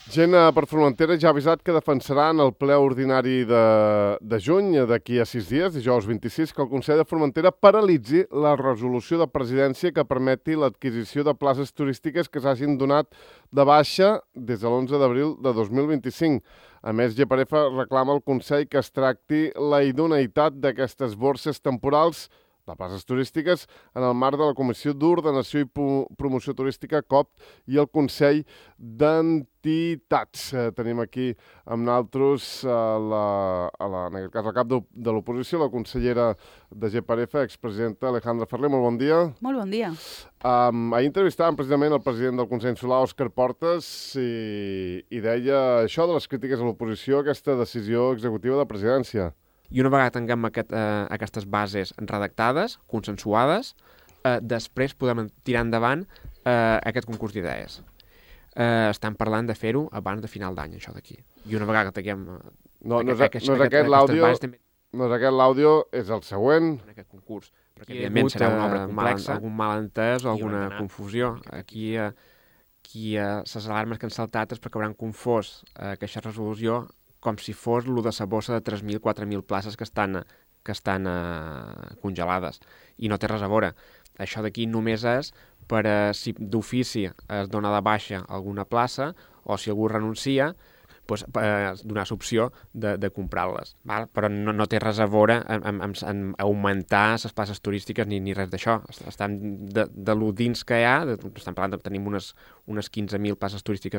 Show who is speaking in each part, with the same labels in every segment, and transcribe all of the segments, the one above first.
Speaker 1: Gent per Formentera ja ha avisat que defensaran el ple ordinari de juny, d'aquí a 6 dies, dijous 26, que el Consell de Formentera paralitzi la resolució de presidència que permeti l'adquisició de places turístiques que s'hagin donat de baixa des de l'11 d'abril de 2025. A més, GPRF reclama al Consell que es tracti la idoneïtat d'aquestes borses temporals de places turístiques en el marc de la Comissió d'Ordenació i Promoció Turística, COP, i el Consell d'Entitats. Tenim aquí amb nosaltres, en aquest cas, el cap de l'oposició, la consellera de GPRF, expresidenta Alejandra Ferrer. Molt bon dia.
Speaker 2: Molt bon dia.
Speaker 1: Ahir entrevistàvem precisament el president del Consell Insular, Òscar Portas, i deia això de les crítiques a l'oposició, aquesta decisió executiva de presidència.
Speaker 3: I una vegada tinguem aquestes bases redactades, consensuades, després podem tirar endavant aquest concurs d'idees. Estem parlant de fer-ho abans de final d'any, això d'aquí. I una vegada que tinguem...
Speaker 1: No és aquest l'àudio, és el següent.
Speaker 3: En aquest concurs. Perquè, evidentment, serà una obra complexa, algun malentès o alguna confusió. Aquí les alarmes que han saltat és perquè hauran confós aquesta resolució com si fos el de la bossa de 3.000, 4.000 places que estan congelades. I no té res a veure. Això d'aquí només és per si d'ofici es dona de baixa alguna plaça o si algú renuncia, doncs, donar l'opció de comprar-les. Però no té res a veure en augmentar les places turístiques ni res d'això. Estem de lo dins que hi ha, estem parlant de tenim unes 15.000 places turístiques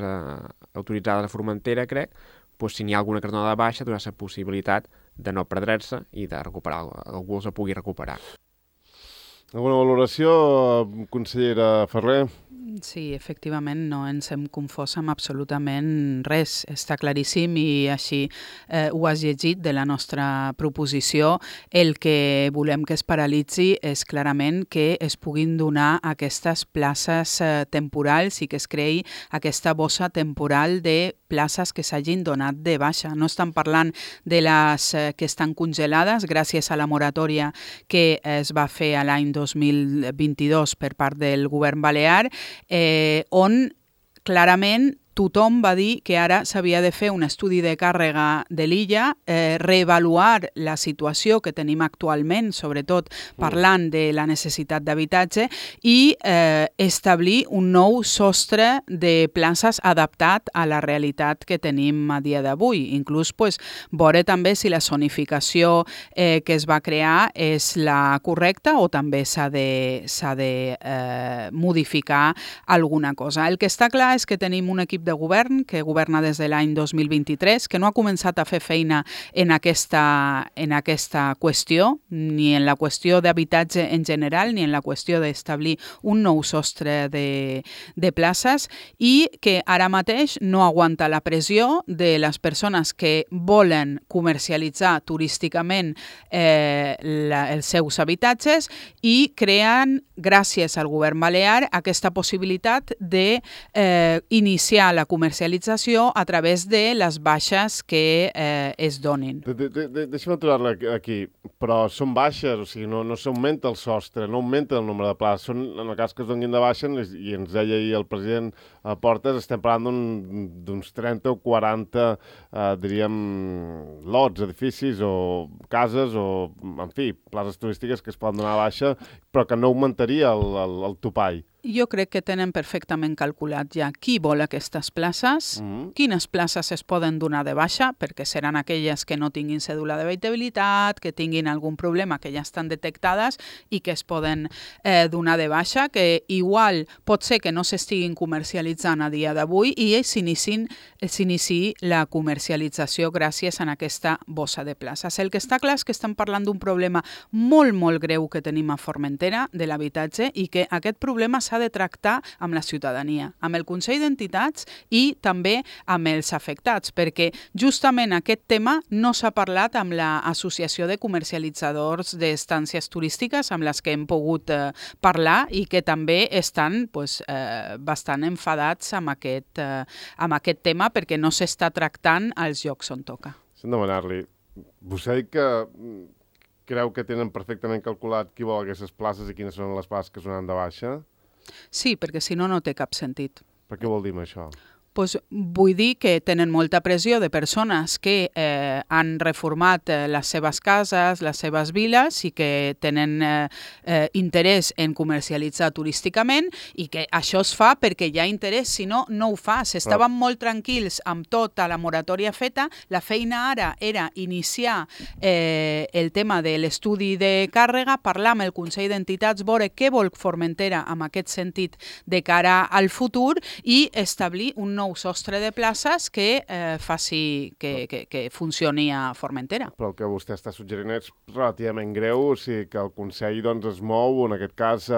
Speaker 3: autoritzades a Formentera, crec, doncs si n'hi ha alguna que es dona de baixa, donar la possibilitat de no perdre-se i de recuperar, algú els pugui recuperar.
Speaker 1: Alguna valoració, consellera Ferrer?
Speaker 2: Sí, efectivament, no ens hem confós amb absolutament res. Està claríssim i així ho has llegit de la nostra proposició. El que volem que es paralitzi és clarament que es puguin donar aquestes places temporals i que es creï aquesta bossa temporal de places que s'hagin donat de baixa. No estan parlant de les que estan congelades gràcies a la moratòria que es va fer a l'any 2022 per part del govern balear, on clarament tothom va dir que ara s'havia de fer un estudi de càrrega de l'illa, reavaluar la situació que tenim actualment, sobretot parlant de la necessitat d'habitatge, i establir un nou sostre de places adaptat a la realitat que tenim a dia d'avui. Inclús veure també si la zonificació que es va crear és la correcta o també s'ha de modificar alguna cosa. El que està clar és que tenim un equip de govern que governa des de l'any 2023, que no ha començat a fer feina en aquesta qüestió, ni en la qüestió d'habitatge en general, ni en la qüestió d'establir un nou sostre de places, i que ara mateix no aguanta la pressió de les persones que volen comercialitzar turísticament els seus habitatges i creen, gràcies al govern balear, aquesta possibilitat d'iniciar la comercialització a través de les baixes que es donin.
Speaker 1: Deixa'm aturar-la aquí, però són baixes, o sigui, no s'augmenta el sostre, no augmenta el nombre de places. En el cas que es donin de baixa, i ens deia ahir el president Portas, estem parlant d'uns 30 o 40, diríem, lots, edificis o cases o, en fi, places turístiques que es poden donar de baixa, però que no augmentaria el topall.
Speaker 2: Jo crec que tenen perfectament calculat ja qui vol aquestes places, quines places es poden donar de baixa, perquè seran aquelles que no tinguin cèdula d'habitabilitat, que tinguin algun problema que ja estan detectades i que es poden donar de baixa, que igual pot ser que no s'estiguin comercialitzant a dia d'avui i s'iniciï la comercialització gràcies a aquesta bossa de places. El que està clar és que estem parlant d'un problema molt, molt greu que tenim a Formentera de l'habitatge i que aquest problema s'ha de tractar amb la ciutadania, amb el Consell d'Entitats i també amb els afectats, perquè justament aquest tema no s'ha parlat amb l'Associació de Comercialitzadors d'Estàncies Turístiques, amb les que hem pogut parlar i que també estan bastant enfadats amb aquest tema perquè no s'està tractant als llocs on toca.
Speaker 1: Sense demanar-li, vostè ha dit que creu que tenen perfectament calculat qui vol aquestes places i quines són les places que es donen de baixa?
Speaker 2: Sí, perquè si no, no té cap sentit.
Speaker 1: Per què vol dir això?
Speaker 2: Pues vull dir que tenen molta pressió de persones que han reformat les seves cases, les seves viles i que tenen interès en comercialitzar turísticament i que això es fa perquè hi ha interès, si no, no ho fa. Estaven molt tranquils amb tota la moratòria feta. La feina ara era iniciar el tema de l'estudi de càrrega, parlar amb el Consell d'Entitats, veure què vol Formentera en aquest sentit de cara al futur i establir un nou sostre de places que faci que funcioni a Formentera.
Speaker 1: Però el que vostè està suggerint és relativament greu, o sigui que el Consell es mou, en aquest cas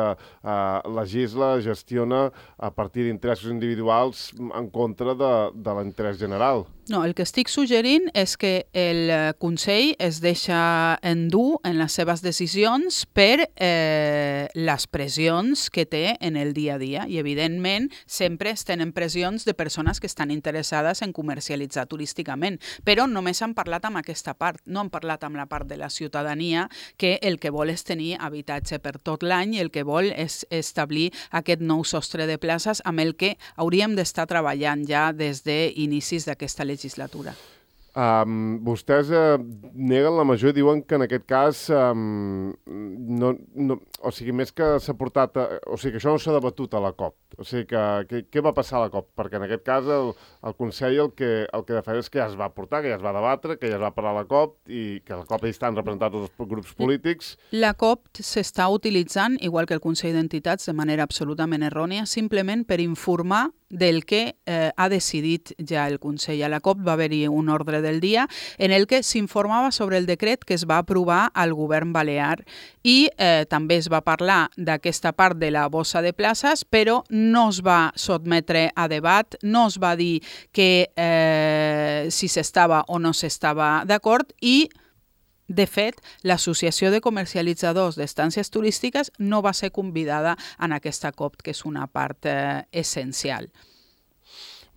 Speaker 1: legisla, gestiona a partir d'interessos individuals en contra de l'interès general.
Speaker 2: No, el que estic suggerint és que el Consell es deixa endur en les seves decisions per les pressions que té en el dia a dia i, evidentment, sempre es tenen pressions de persones que estan interessades en comercialitzar turísticament, però només han parlat amb aquesta part, no han parlat amb la part de la ciutadania que el que vol és tenir habitatge per tot l'any i el que vol és establir aquest nou sostre de places amb el que hauríem d'estar treballant ja des d'inicis d'aquesta legislatura.
Speaker 1: Vostès neguen la major i diuen que en aquest cas o sigui, més que s'ha portat o sigui, que això no s'ha debatut a la COP. O sigui, què va passar a la COP? Perquè en aquest cas el Consell el que defensa és que ja es va portar, que ja es va debatre, que ja es va parlar a la COP i que a la COP hi estan representats els grups polítics.
Speaker 2: La COP s'està utilitzant, igual que el Consell d'Entitats, de manera absolutament errònia, simplement per informar del que ha decidit ja el Consell. A la COP va haver-hi un ordre del dia en el que s'informava sobre el decret que es va aprovar al govern balear i també es va parlar d'aquesta part de la bossa de places, però no es va sotmetre a debat, no es va dir que si s'estava o no s'estava d'acord i de fet, l'Associació de Comercialitzadors d'Estàncies Turístiques no va ser convidada en aquesta COP, que és una part essencial.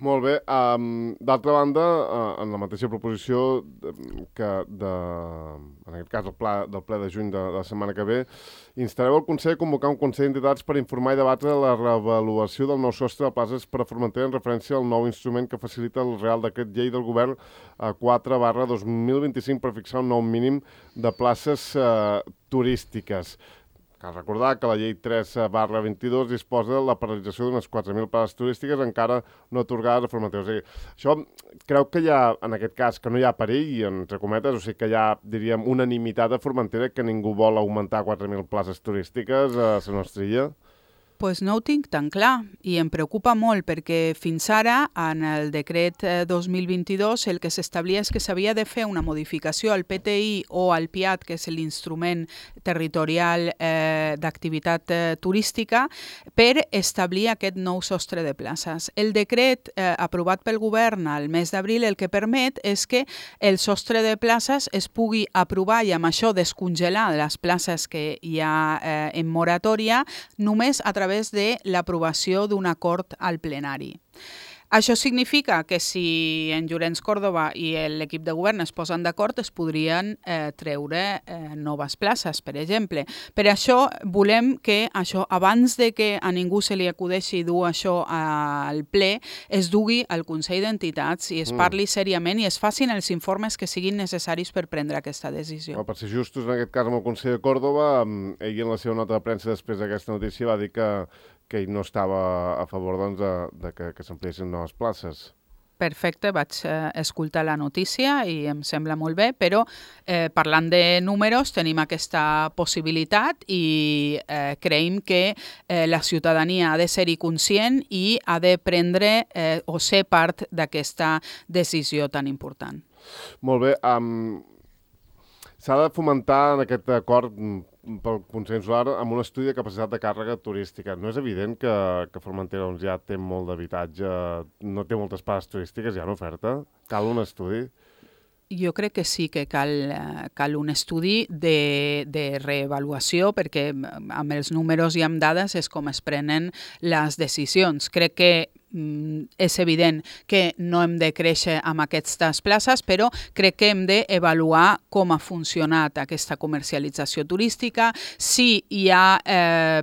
Speaker 1: Molt bé. D'altra banda, en la mateixa proposició, en aquest cas del ple de juny de la setmana que ve, instareu el Consell a convocar un Consell d'Entitats per informar i debatre la reavaluació del nou sostre de places per a Formentera en referència al nou instrument que facilita el Real Decret Llei del Govern 4/2025 per fixar un nou mínim de places turístiques. Cal recordar que la llei 3/22 disposa de la paralització d'unes 4.000 places turístiques encara no atorgades a Formentera. O sigui, això creu que hi ha, en aquest cas, que no hi ha perill, entre cometes, o sigui que hi ha, diríem, unanimitat a Formentera que ningú vol augmentar 4.000 places turístiques a la nostra illa?
Speaker 2: Pues no ho tinc tan clar i em preocupa molt perquè fins ara, en el decret 2022, el que s'establia és que s'havia de fer una modificació al PTI o al PIAT, que és l'instrument territorial d'activitat turística, per establir aquest nou sostre de places. El decret aprovat pel govern al mes d'abril el que permet és que el sostre de places es pugui aprovar i amb això descongelar les places que hi ha en moratòria només a través de l'aprovació d'un acord al plenari. Això significa que si en Llorenç Córdoba i l'equip de govern es posen d'acord es podrien treure noves places, per exemple. Per això volem que això, abans de que a ningú se li acudeixi dur això al ple, es dugui al Consell d'Entitats i es parli seriament i es facin els informes que siguin necessaris per prendre aquesta decisió.
Speaker 1: Per ser justos, en aquest cas amb el Consell de Córdoba, ell en la seva nota de premsa després d'aquesta notícia va dir que ell no estava a favor de que s'ampliessin noves places.
Speaker 2: Perfecte, vaig escoltar la notícia i em sembla molt bé, però parlant de números tenim aquesta possibilitat i creiem que la ciutadania ha de ser-hi conscient i ha de prendre o ser part d'aquesta decisió tan important.
Speaker 1: Molt bé. S'ha de fomentar en aquest acord pel Consell Insular amb un estudi de capacitat de càrrega turística. No és evident que Formentera ja té molt d'habitatge, no té moltes places turístiques ja en oferta? Cal un estudi?
Speaker 2: Jo crec que sí que cal un estudi de reavaluació perquè amb els números i amb dades és com es prenen les decisions. Crec que és evident que no hem de créixer amb aquestes places, però crec que hem d'avaluar com ha funcionat aquesta comercialització turística, si hi ha,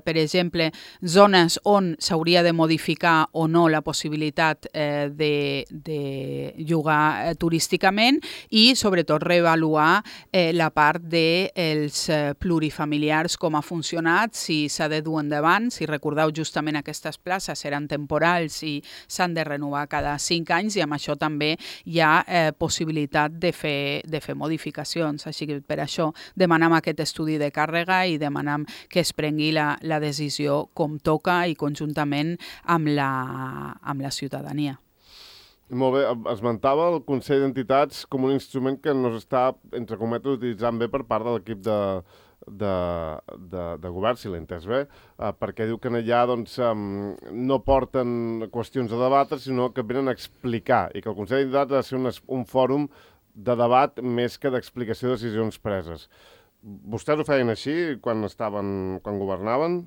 Speaker 2: per exemple, zones on s'hauria de modificar o no la possibilitat de llogar turísticament i, sobretot, reavaluar la part dels plurifamiliars, com ha funcionat, si s'ha de dur endavant. Si recordeu, justament aquestes places eren temporals i s'han de renovar cada 5 anys i amb això també hi ha possibilitat de fer modificacions. Així que per això demanem aquest estudi de càrrega i demanem que es prengui la decisió com toca i conjuntament amb la ciutadania.
Speaker 1: Molt bé, esmentava el Consell d'Entitats com un instrument que no s'està, entre cometes, utilitzant bé per part de l'equip de govern, si l'he entès bé, perquè diu que allà no porten qüestions a debatre, sinó que venen a explicar, i que el Consell d'Entitats ha de ser un fòrum de debat més que d'explicació de decisions preses. Vostès ho feien així quan governaven?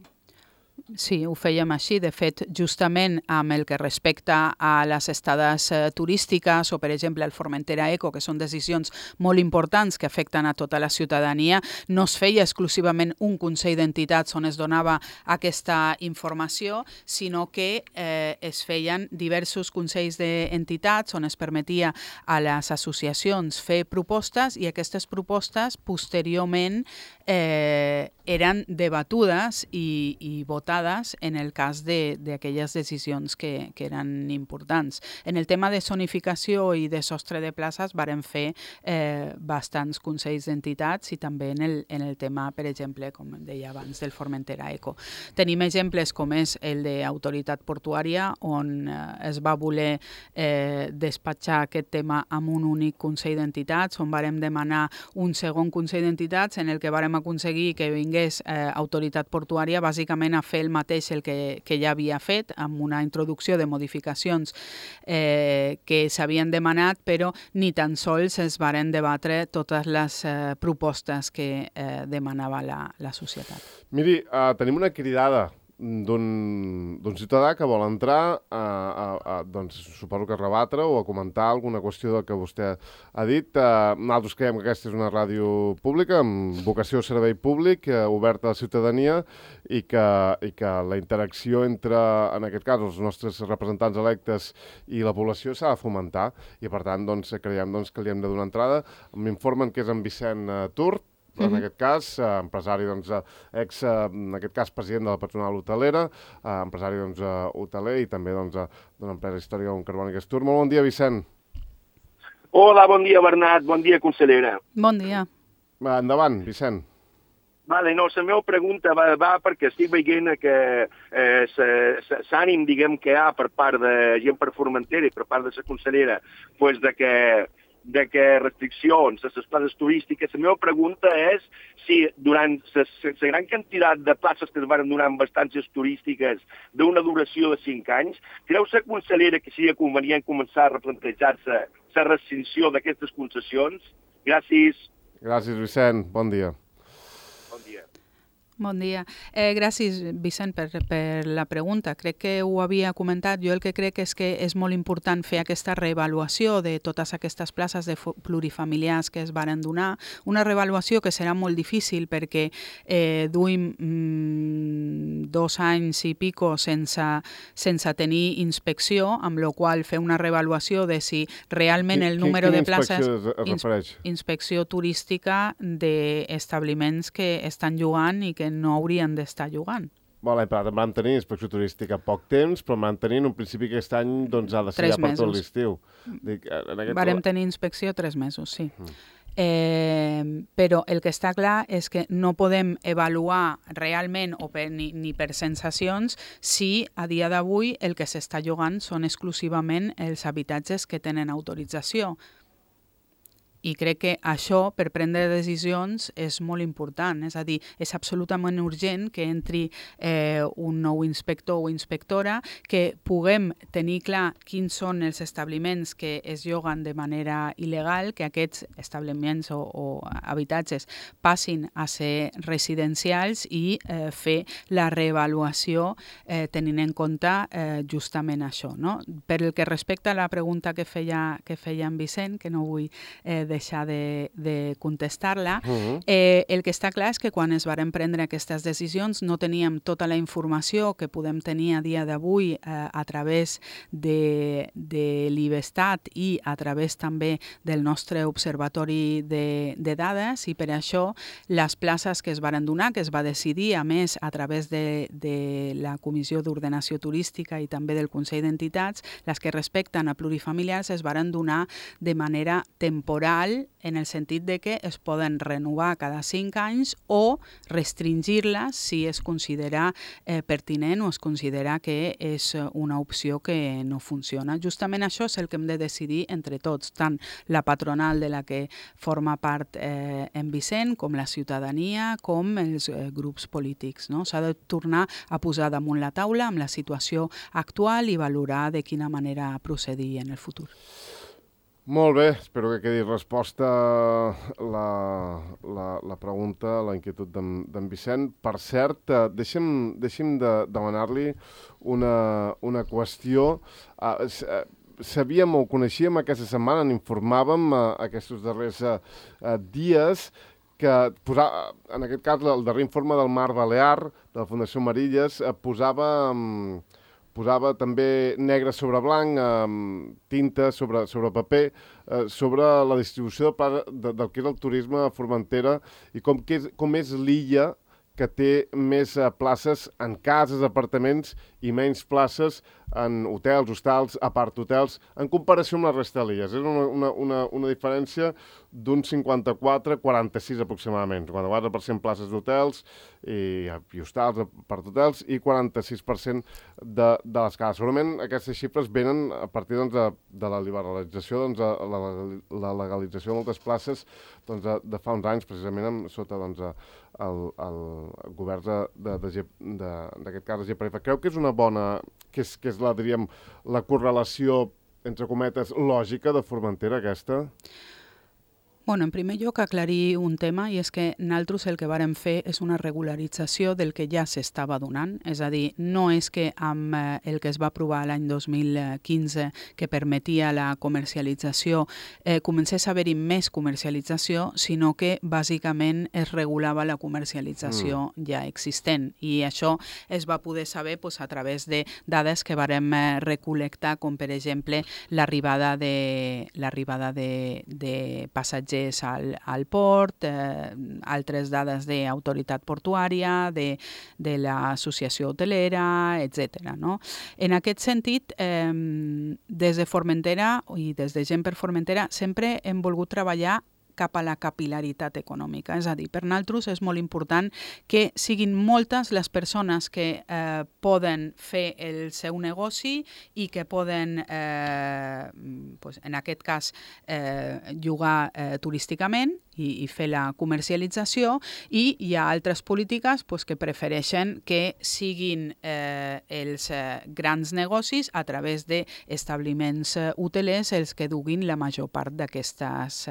Speaker 2: Sí, ho fèiem així. De fet, justament amb el que respecta a les estades turístiques o, per exemple, el Formentera Eco, que són decisions molt importants que afecten a tota la ciutadania, no es feia exclusivament un Consell d'Entitats on es donava aquesta informació, sinó que es feien diversos consells d'entitats on es permetia a les associacions fer propostes i aquestes propostes posteriorment eren debatudes i votades en el cas d'aquelles decisions que eren importants. En el tema de zonificació i de sostre de places vàrem fer bastants consells d'entitats i també en el tema, per exemple, com deia abans, del Formentera Eco. Tenim exemples com és el d'Autoritat Portuària, on es va voler despatxar aquest tema amb un únic consell d'entitats, on vàrem demanar un segon consell d'entitats en el que vàrem aconseguir que vingués Autoritat Portuària bàsicament a fer el mateix el que ja havia fet, amb una introducció de modificacions que s'havien demanat, però ni tan sols es varen debatre totes les propostes que demanava la societat.
Speaker 1: Miri, tenim una cridada d'un ciutadà que vol entrar doncs suposo que a rebatre o a comentar alguna qüestió del que vostè ha dit. Nosaltres creiem que aquesta és una ràdio pública amb vocació de servei públic, oberta a la ciutadania i que la interacció entre, en aquest cas, els nostres representants electes i la població s'ha de fomentar i per tant creiem que li hem de donar entrada. M'informen que és en Vicent Turt, en aquest cas, empresari, en aquest cas, president de la patronal hotelera, empresari hoteler i també d'una empresa històrica com Carbòniques Tour. Molt bon dia, Vicent.
Speaker 4: Hola, bon dia, Bernat. Bon dia, consellera.
Speaker 2: Bon dia.
Speaker 1: Endavant, Vicent.
Speaker 4: Vale, no, la meva pregunta va perquè estic veient que s'ànim, diguem, que hi ha per part de gent per Formentera i per part de la consellera, pues de que restriccions a les places turístiques. La meva pregunta és si durant la gran quantitat de places que es van donar amb estàncies turístiques d'una duració de 5 anys, creu la consellera que seria convenient començar a replantejar-se la restricció d'aquestes concessions? Gràcies.
Speaker 1: Gràcies, Vicent. Bon dia.
Speaker 4: Bon dia.
Speaker 2: Bon dia. Gràcies, Vicent, per la pregunta. Crec que ho havia comentat. Jo el que crec és que és molt important fer aquesta reavaluació de totes aquestes places de plurifamiliars que es varen donar. Una reavaluació que serà molt difícil perquè duim 2 anys i pico sense tenir inspecció, amb la qual fer una reavaluació de si realment el número de places...
Speaker 1: Quina inspecció es refereix?
Speaker 2: Inspecció turística d'establiments que estan llogant i que no haurien d'estar llogant.
Speaker 1: L'any passat vam tenir inspecció turística poc temps, però vam tenir en un principi aquest any ha de ser ja per tot l'estiu.
Speaker 2: Vàrem tenir inspecció 3 mesos, sí. Però el que està clar és que no podem avaluar realment o ni per sensacions si a dia d'avui el que s'està llogant són exclusivament els habitatges que tenen autorització. I crec que això, per prendre decisions, és molt important. És a dir, és absolutament urgent que entri un nou inspector o inspectora, que puguem tenir clar quins són els establiments que es lloguen de manera il·legal, que aquests establiments o habitatges passin a ser residencials i fer la reavaluació tenint en compte justament això. No? Per el que respecta a la pregunta que feia en Vicent, que no vull deixar de contestar-la, el que està clar és que quan es varen prendre aquestes decisions no teníem tota la informació que podem tenir a dia d'avui a través de l'IBESTAT i a través també del nostre observatori de dades, i per això les places que es varen donar, que es va decidir, a més, a través de la Comissió d'Ordenació Turística i també del Consell d'Entitats, les que respecten a plurifamiliars es varen donar de manera temporal, en el sentit de que es poden renovar cada 5 anys o restringir-les si es considera pertinent o es considera que és una opció que no funciona. Justament això és el que hem de decidir entre tots, tant la patronal de la que forma part en Vicent, com la ciutadania, com els grups polítics. No? S'ha de tornar a posar damunt la taula amb la situació actual i valorar de quina manera procedir en el futur.
Speaker 1: Molt bé, espero que quedi resposta la pregunta, la inquietud d'en Vicent. Per cert, deixi'm de demanar-li una qüestió. Sabíem o coneixíem aquesta setmana, n'informàvem aquests darrers dies, que en aquest cas el darrer informe del Mar Balear, de la Fundació Marilles, posava també negre sobre blanc, tinta sobre paper, sobre la distribució del que és el turisme a Formentera i com és l'illa que té més places en cases, apartaments i menys places en hotels, hostals, apart-hotels, en comparació amb la resta de l'illes. És una diferència d'un 54-46 aproximadament. 54% places d'hotels i hostals, apart-hotels, i 46% de les cases. Segurament aquestes xifres venen a partir de la liberalització, la legalització de moltes places de fa uns anys, precisament sota el govern d'aquest cas de GPF. Creu que és una bona, que és la correlació, entre cometes, lògica de Formentera, aquesta?
Speaker 2: Bueno, en primer lloc, aclarir un tema, i és que nosaltres el que vàrem fer és una regularització del que ja s'estava donant. És a dir, no és que amb el que es va aprovar l'any 2015, que permetia la comercialització, comencés a haver-hi més comercialització, sinó que bàsicament es regulava la comercialització ja existent. I això es va poder saber a través de dades que vàrem recol·lectar, com per exemple l'arribada de passatgers al port, altres dades d'autoritat portuària, de l'associació hotelera, etc. No? En aquest sentit, des de Formentera i des de Gent per Formentera sempre hem volgut treballar cap a la capil·laritat econòmica. És a dir, per nosaltres és molt important que siguin moltes les persones que poden fer el seu negoci i que poden, en aquest cas, llogar turísticament i fer la comercialització, i hi ha altres polítiques que prefereixen que siguin els grans negocis a través d'establiments hotelers els que duguin la major part d'aquestes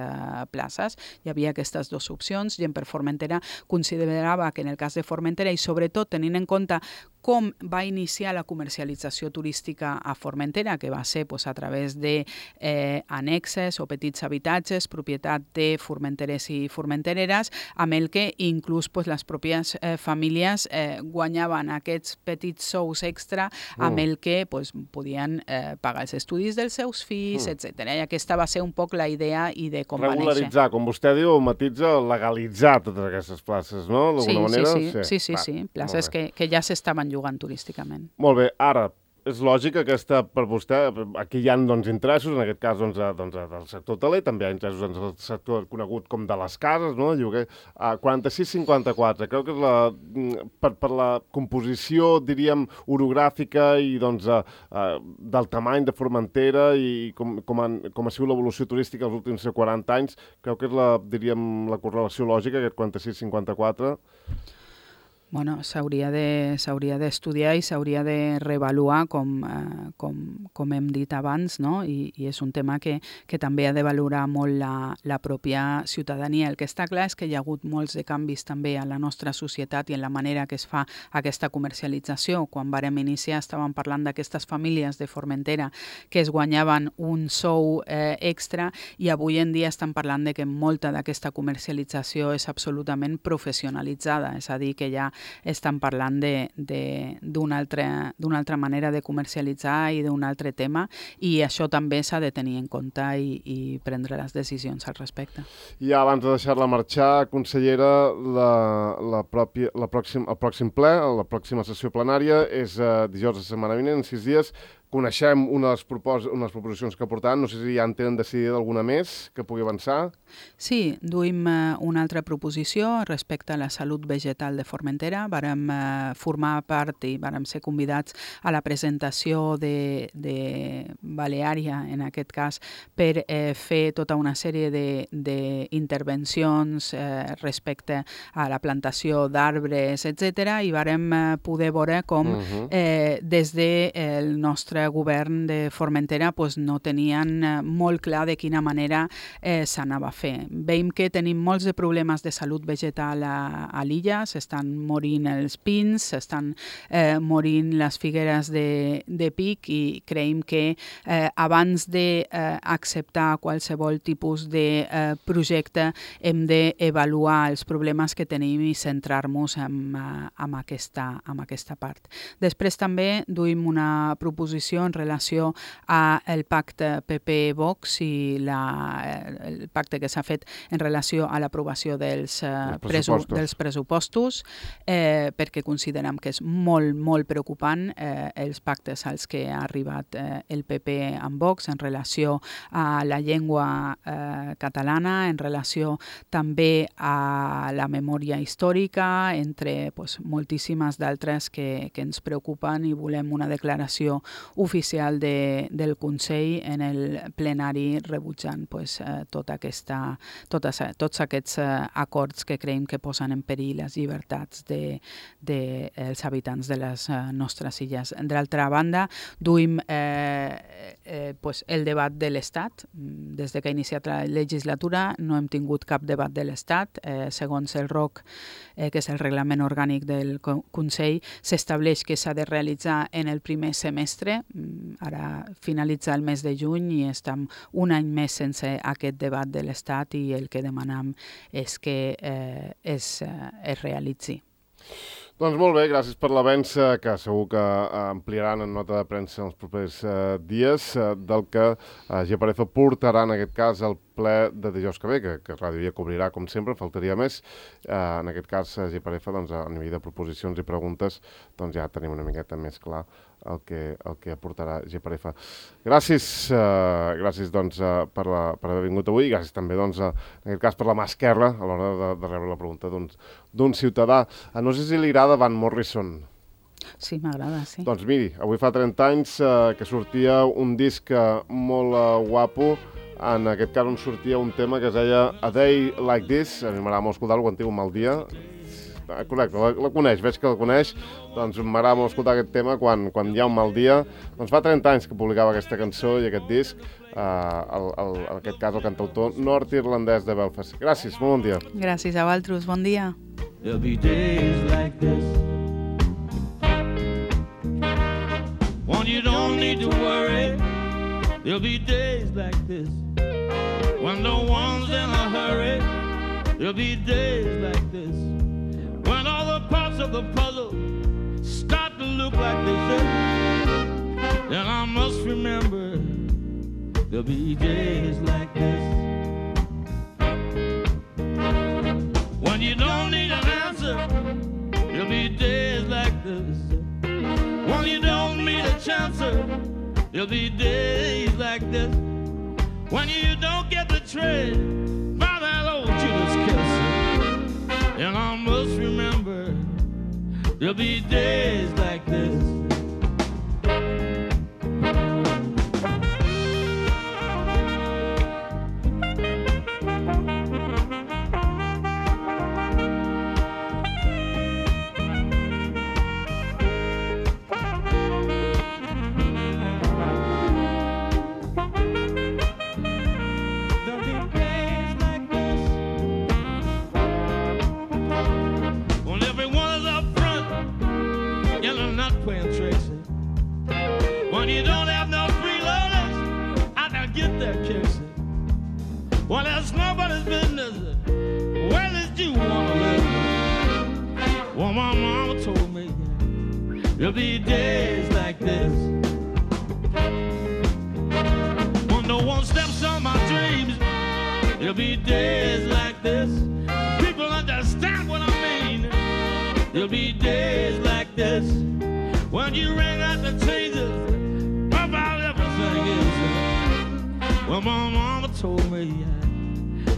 Speaker 2: places. Hi havia aquestes dues opcions. Gent per Formentera considerava que en el cas de Formentera, i sobretot tenint en compte com va iniciar la comercialització turística a Formentera, que va ser a través d'annexes o petits habitatges, propietat de formenterers i formentereres, amb el que inclús les pròpies famílies guanyaven aquests petits sous extra amb el que podien pagar els estudis dels seus fills, etc. I aquesta va ser un poc la idea i de com va néixer.
Speaker 1: Regularitzar, com vostè diu, matitza, legalitzar totes aquestes places, no?
Speaker 2: Sí. Places que ja s'estaven llogant turísticament.
Speaker 1: Molt bé, ara, És lògic aquesta per vostè. Aquí hi ha interessos, en aquest cas del sector hoteler, també hi ha interessos en el sector conegut com de les cases, no? Lloguer. 46-54, crec que és per la composició, diríem, orogràfica i del tamany de Formentera i com ha sigut l'evolució turística els últims 40 anys, crec que és la correlació lògica, aquest 46-54.
Speaker 2: Bueno, s'hauria d'estudiar i s'hauria de reavaluar com hem dit abans, no? I és un tema que també ha de valorar molt la pròpia ciutadania. El que està clar és que hi ha hagut molts de canvis també a la nostra societat i en la manera que es fa aquesta comercialització. Quan vàrem iniciar estàvem parlant d'aquestes famílies de Formentera que es guanyaven un sou extra i avui en dia estan parlant de que molta d'aquesta comercialització és absolutament professionalitzada, és a dir, que ja estan parlant d'una altra manera de comercialitzar i d'un altre tema, i això també s'ha de tenir en compte i prendre les decisions al respecte.
Speaker 1: I abans de deixar-la marxar, consellera, el pròxim ple, la pròxima sessió plenària és dijous de setmana vinent, en 6 dies. Coneixem unes proposicions que portaran, no sé si ja en tenen decidida alguna més que pugui avançar.
Speaker 2: Sí, duim una altra proposició respecte a la salut vegetal de Formentera. Vàrem formar part i vàrem ser convidats a la presentació de Baleària, en aquest cas, per fer tota una sèrie d'intervencions respecte a la plantació d'arbres, etc. I vàrem poder veure com des del nostre govern de Formentera no tenien molt clar de quina manera s'anava a fer. Veiem que tenim molts de problemes de salut vegetal a l'illa, s'estan morint els pins, s'estan morint les figueres de pic, i creiem que abans d'acceptar qualsevol tipus de projecte hem d'avaluar els problemes que tenim i centrar-nos en aquesta part. Després també duim una proposició en relació al pacte PP-Vox i el pacte que s'ha fet en relació a l'aprovació dels pressupostos, perquè considerem que és molt, molt preocupant els pactes als que ha arribat el PP amb Vox en relació a la llengua catalana, en relació també a la memòria històrica, entre moltíssimes d'altres que ens preocupen, i volem una declaració oficial del Consell en el plenari rebutjant tots aquests acords que creiem que posen en perill les llibertats dels habitants de les nostres illes. D'altra banda, duim el debat de l'Estat. Des que ha iniciat la legislatura no hem tingut cap debat de l'Estat. Segons el ROC, que és el reglament orgànic del Consell, s'estableix que s'ha de realitzar en el primer semestre. Ara finalitza el mes de juny i estem un any més sense aquest debat de l'Estat, i el que demanam és que es realitzi.
Speaker 1: Doncs molt bé, gràcies per l'avenç, que segur que ampliaran en nota de premsa en els propers dies, del que Geparefa portarà en aquest cas al ple de dijous que ve, que Ràdio Via cobrirà, com sempre, faltaria més. En aquest cas, Geparefa, a nivell de proposicions i preguntes, ja tenim una miqueta més clar el que aportarà Geparefa. Gràcies per haver vingut avui, i gràcies també, en aquest cas, per la mà esquerra a l'hora de rebre la pregunta d'un ciutadà. No sé si li agrada Van Morrison.
Speaker 2: Sí, m'agrada, sí.
Speaker 1: Doncs miri, avui fa 30 anys que sortia un disc molt guapo. En aquest cas on sortia un tema que es deia A Day Like This. A mi m'agrada molt escoltar-lo quan tinc un mal dia. Correcte, la coneix, veig que la coneix. Doncs m'agrada molt escoltar aquest tema quan hi ha un mal dia. Doncs fa 30 anys que publicava aquesta cançó i aquest disc, en aquest cas el cantautor nord-irlandès de Belfast. Gràcies, molt bon dia.
Speaker 2: Gràcies a vosaltres, bon dia.
Speaker 5: There'll be days like this when you don't need to worry. There'll be days like this when no one's in a hurry. There'll be days like this when all the parts of the puzzle start to look like they should. Then I must remember there'll be days like this when you don't need an answer. There'll be days like this when you don't need a chance when you don't get the trade by that old Judas kiss. And I must remember there'll be days like this. When you don't have no freeloaders, I can get that kissing. Well, that's nobody's business. Where did you want to live? Well, my mama told me there'll be days like this. When no one steps on my dreams, there'll be days like this. People understand what I mean. There'll be days like this. When you ring out the changes about everything is. Well, my mama told me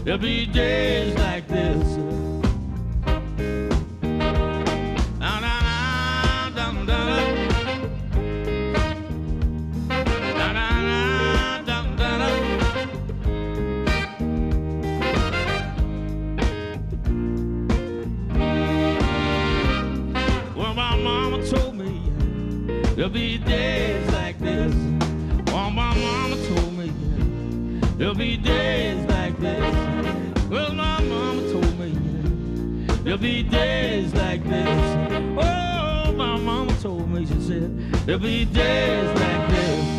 Speaker 5: there'll be days like this. Well, my mama told me there'll be days like this. Oh, my mama told me there'll be days like this. Well, my mama told me there'll be days like this. Oh, my mama told me, she said, there'll be days like this.